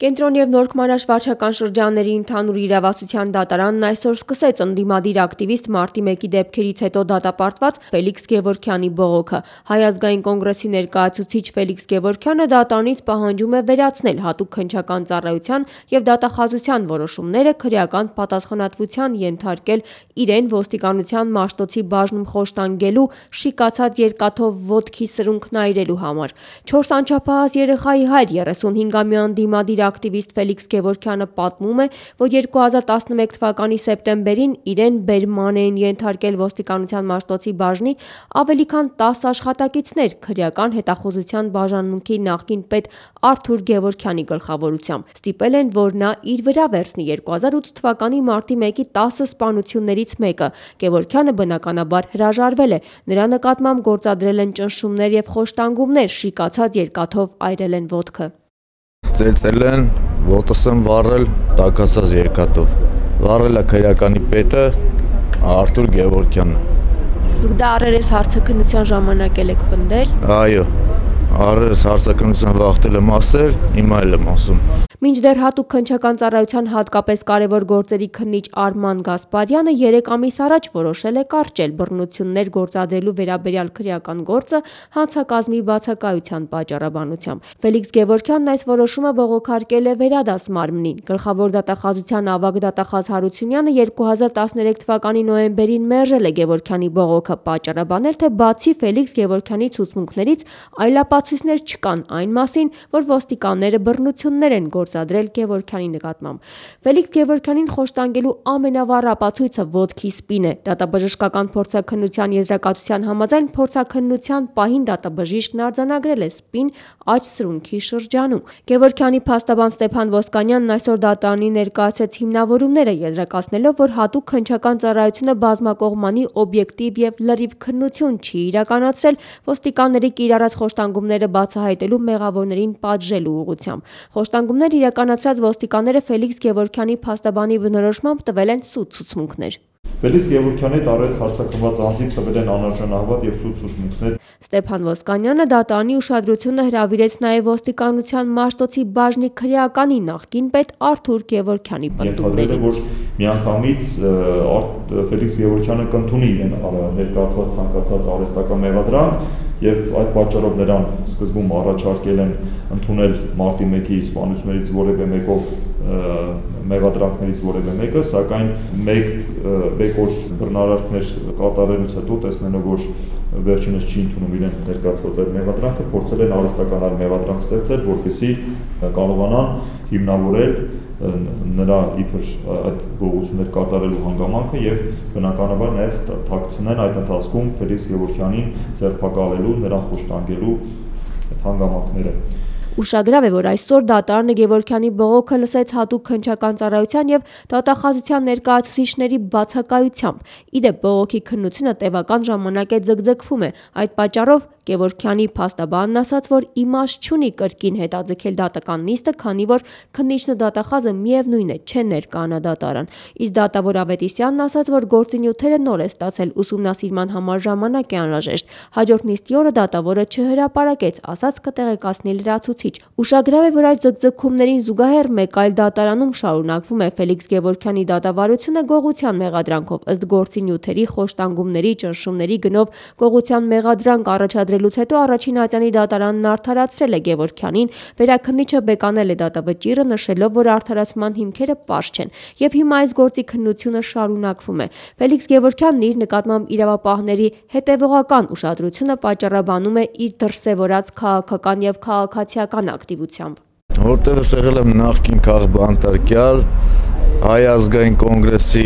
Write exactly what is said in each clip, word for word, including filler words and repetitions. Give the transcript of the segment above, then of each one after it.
Կենտրոն և Նորք Մանաշ վարչական շրջանների ընդհանուր իրավասության դատարանն այսօր սկսեց ընդդիմադիր ակտիվիստ մարտի մեկի դեպքերից հետո դատապարտված Ֆելիքս Գևորգյանի բողոքը։ Հայ ազգային կոնգրեսի ներկայացուցիչ Ֆելիքս Գևորգյանը դատարանից պահանջում է վերացնել հատուկ քննչական ծառայության և դատախազության որոշումները, քրեական պատասխանատվության ենթարկել իրեն ոստիկանության Մաշտոցի բաժնում խոշտանգելու, շիկացած երկաթով ոտքի սրունքն այրելու համար։ Չորս անչափահաս երեխայի հայր երեսունհինգամյա ընդդիմադիր ակտիվիստ Ֆելիքս Գևորգյանը պատմում է, որ երկու հազար տասնմեկ թվականի սեպտեմբերին իրեն բերման էին ենթարկել ոստիկանության Մաշտոցի բաժնի ավելի քան տասը աշխատակիցներ քրեական հետախուզության բաժանմունքի նախկին պետ Արթուր Գևորգյանի գլխավորությամբ։ Ստիպել են, որ նա իր վրա վերցնի երկու հազար ութ թվականի մարտի մեկի տասը սպանություններից մեկը։ Գևորգյանը բնականաբար հրաժարվել է, նրա նկատմամբ գործադրել են ճնշումներ և խոշտանգումներ, շիկացած երկաթով այրել են ոտքը։ Ծեծել են, ոտս եմ վառել տաքացած երկաթով։ Վառել է քրեականի պետը Արթուր Գևորգյանը։ Դուք դա առերես հարցաքննության ժամանակ եք պնդել։ Այո, առերես հարցաքննության վախտել եմ ասել, հիմա էլ եմ ասում։ Մինչդեռ հատուկ քննչական ծառայության հատկապես կարևոր գործերի քննիչ Արման Գասպարյանը երեք ամիս առաջ որոշել է կարճել բռնություններ գործադրելու վերաբերյալ քրեական գործը հանցակազմի բացակայության պատճառաբանությամբ։ Ֆելիքս Գևորգյանն այս որոշումը բողոքարկել է Վերադաս մարմնին։ Գլխավոր դատախազության ավագ դատախազ Հարությունյանը երկու հազար տասներեք թվականի նոյեմբերին մերժել է Գևորգյանի բողոքը, պատճառաբանել, թե բացի Ֆելիքս Գևորգյանի ցուցմունքներից այլապացույցներ չկան այն մասին, որ ոստիկանները բռնություններ են գործադրել Գևորգյանի նկատմամբ։ Ֆելիքս Գևորգյանին խոշտանգելու ամենավառ ապացույցը ոտքի սպին է։ Դատաբժշկական փորձաքննության եզրակացության համաձայն փորձաքննության պահին դատաբժիշկն արձանագրել է սպին աջ սրունքի շրջանում։ Գևորգյանի փաստաբան Ստեփան Ոսկանյանն այսօր դատարանին ներկայացրեց հիմնավորումները, եզրակացնելով, որ հատուկ քննչական ծառայությունը բազմակողմանի, օբյեկտիվ և լրիվ քննություն չի իրականացրել ոստիկանների կիրառած խոշտանգումները բացահայտելու մեղավորներին պատժելու ուղղությամբ։ Խոշտանգումներ իրականացրած ոստիկանները Ֆելիքս Գևորգյանի փաստաբանի բնորոշմամբ տվել են սուտ ցուցմունքներ։ Ֆելիքս Գևորգյանի տարեց հարցակնված անձին տվել են անարժանահավատ և սուտ ցուցմունքներ։ Ստեփան Ոսկանյանը դատարանի ուշադրությունը հրավիրեց նաև ոստիկանության Մաշտոցի բաժնի քրեականի նախկին պետ Արթուր Գևորգյանի պնդումներին։ Որ միանգամից Ֆելիքս Գևորգյանը կընդունի իրեն ներկայացված ցանկացած արհեստական մեղադրանք և այդ պատճառով նրան սկզբում առաջարկել են ընդունել մարտի մեկի սպանություններից որևէ մեկով մեղադրանքներից որևէ մեկը, սակայն մեկ օր բռնարարքներ կատարելուց հետո տեսնելով, որ վերջինս չի ընդունում իրեն ներկայացված այդ մեղադրանքը, փորձել են արհեստական այլ մեղադրանք ստեղծել, որպեսզի կարողանան հիմնավորել նրա իբր այդ գործողություններ կատարելու հանգամանքը եւ բնականաբար նաեւ թաքցնեն այդ ընթացքում Ֆելիքս Գևորգյանին ձերբակալելու, նրան խոշտանգելու հանգամանքները։ Ուշագրավ է, որ այսօր դատարանը Գևորգյանի բողոքը լսեց հատուկ քննչական ծառայության և դատախազության ներկայացուցիչների բացակայությամբ։ Ի դեպ, բողոքի քննությունը տևական ժամանակ է ձգձգվում է։ Այդ պատճառով Գևորգյանի փաստաբանն ասաց, որ իմաստ չունի կրկին հետաձգել դատական նիստը, քանի որ քննիչն ու դատախազը միևնույն է, չեն ներկայանա դատարան։ Իսկ դատավոր Ավետիսյանն ասաց, որ գործի նյութերը նոր է ստացել, ուսումնասիրման համար ժամանակ է անհրաժեշտ։ Հաջորդ նիստի օրը դատավորը չհրապարակեց, ասաց կտեղեկացնի լրացուցիչ։ Ուշագրավ է, որ այս ձգձգումներին զուգահեռ մեկ այլ դատարանում շարունակվում է Ֆելիքս Գևորգյանի դատավարությունը գողության մեղադրանքով։ Ըստ գործի նյութերի խոշտանգումների, ճնշումների գնով գողության մեղադրանք առաջադրելուց հետո առաջին ատյանի դատարանն արդարացրել է Գևորգյանին, վերաքննիչը բեկանել է դատավճիռը, նշելով, որ արդարացման հիմքերը պարզ չեն, և հիմա այս գործի քննությունը շարունակվում է։ Ֆելիքս Գևորգյանն իր նկատմամբ իրավապահների հետևողական ուշադրությունը պատճառաբանում է իր դրսևորած քաղաքական և քաղաքացիական ակտիվությամբ։ Որտեղս եղել եմ նախկին քաղբանտարկյալ, Հայ ազգային կոնգրեսի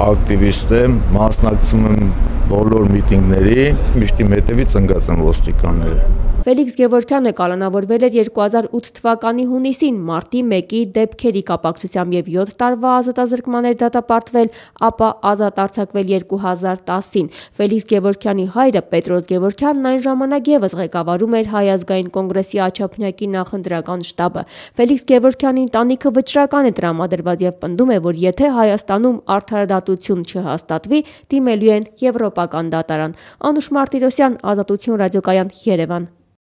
ակտիվիստ եմ, մասնակցում եմ բոլոր միտինգների, միշտ իմ հետևից ընկած են ոստիկանները։ Ֆելիքս Գևորգյանը կալանավորվել էր երկու հազար ութ թվականի հունիսին մարտի մեկի դեպքերի կապակցությամբ և յոթ տարվա ազատազրկման էր դատապարտվել, ապա ազատ արձակվել երկու հազար տասին։ Ֆելիքս Գևորգյանի հայրը Պետրոս Գևորգյանն այն ժամանակ ևս ղեկավարում էր Հայ ազգային կոնգրեսի Աջափնյակի նախընտրական շտաբը։ Ֆելիքս Գևորգյանի ընտանիքը վճռական է տրամադրված և պնդում է, որ եթե Հայաստանում արդարադատություն չհաստատվի, դիմելու են Եվրոպական դատարան։ Անուշ Մարտիրոսյան, Ազատություն ռադիոկայան, Երևան։